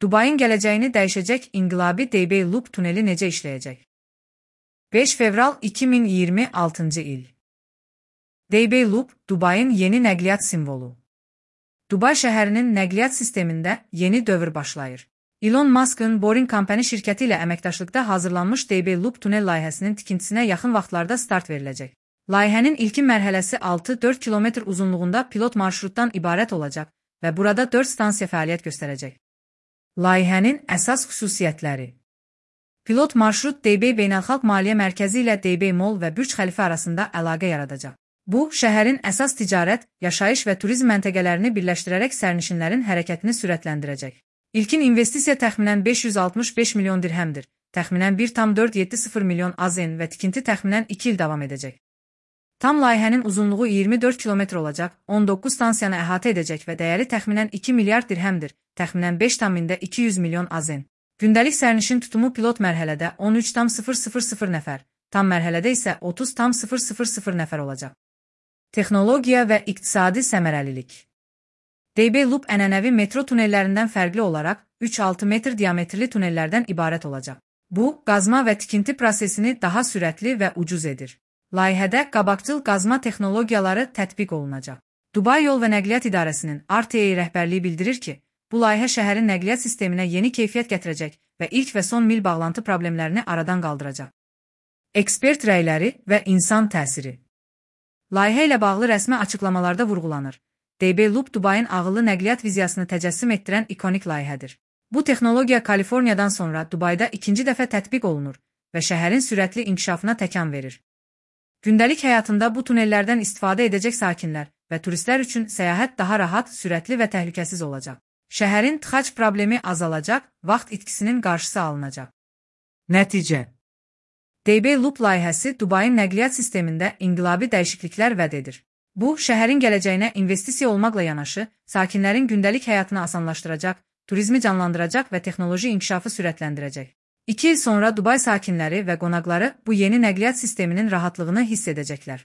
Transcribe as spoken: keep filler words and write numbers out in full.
Dubayın gələcəyini dəyişəcək inqilabi D B Loop tuneli necə işləyəcək? beş fevral iki min iyirmi altıncı il. D B Loop, Dubayın yeni nəqliyyat simvolu. Dubay şəhərinin nəqliyyat sistemində yeni dövr başlayır. Elon Musk'ın Boring Company şirkəti ilə əməkdaşlıqda hazırlanmış D B Loop tunel layihəsinin tikintisinə yaxın vaxtlarda start veriləcək. Layihənin ilkin mərhələsi altı dörd kilometr uzunluğunda pilot marşrutdan ibarət olacaq və burada dörd stansiya fəaliyyət göstərəcək. Layihənin əsas xüsusiyyətləri. Pilot marşrut D B Beynəlxalq Maliyyə Mərkəzi ilə D B Mall və Bürc Xəlifə arasında əlaqə yaradacaq. Bu, şəhərin əsas ticarət, yaşayış və turizm məntəqələrini birləşdirərək sərnişinlərin hərəkətini sürətləndirəcək. İlkin investisiya təxminən beş yüz altmış beş milyon dirhəmdir, təxminən bir tam dörd yeddi sıfır milyon AZN və tikinti təxminən iki il davam edəcək. Tam layihənin uzunluğu iyirmi dörd kilometr olacaq, on doqquz stansiyanı əhatə edəcək və dəyəri təxminən iki milyard dirhəmdir, təxminən beş tam iki yüz milyon AZN. Gündəlik sərnişin tutumu pilot mərhələdə on üç tam sıfır sıfır sıfır nəfər, tam mərhələdə isə otuz tam sıfır sıfır sıfır nəfər olacaq. Texnologiya və iqtisadi səmərəlilik. D B Loop ənənəvi metro tunellərindən fərqli olaraq üç altı metr diametrli tunellərdən ibarət olacaq. Bu, qazma və tikinti prosesini daha sürətli və ucuz edir. Layihədə qabaqcıl qazma texnologiyaları tətbiq olunacaq. Dubay Yol və Nəqliyyat İdarəsinin R T A rəhbərliyi bildirir ki, bu layihə şəhərin nəqliyyat sisteminə yeni keyfiyyət gətirəcək və ilk və son mil bağlantı problemlərini aradan qaldıracaq. Ekspert rəyləri və insan təsiri. Layihə ilə bağlı rəsmi açıqlamalarda vurğulanır. D B Loop Dubayın ağıllı nəqliyyat viziyasını təcəssüm etdirən ikonik layihədir. Bu texnologiya Kaliforniyadan sonra Dubayda ikinci dəfə tətbiq olunur və şəhərin sürətli inkişafına təkan verir. Gündəlik həyatında bu tunellərdən istifadə edəcək sakinlər və turistlər üçün səyahət daha rahat, sürətli və təhlükəsiz olacaq. Şəhərin tıxac problemi azalacaq, vaxt itkisinin qarşısı alınacaq. Nəticə. D B Loop layihəsi Dubayın nəqliyyat sistemində inqilabi dəyişikliklər vəd edir. Bu, şəhərin gələcəyinə investisiya olmaqla yanaşı, sakinlərin gündəlik həyatını asanlaşdıracaq, turizmi canlandıracaq və texnoloji inkişafı sürətləndirəcək. İki il sonra Dubay sakinləri və qonaqları bu yeni nəqliyyat sisteminin rahatlığını hiss edəcəklər.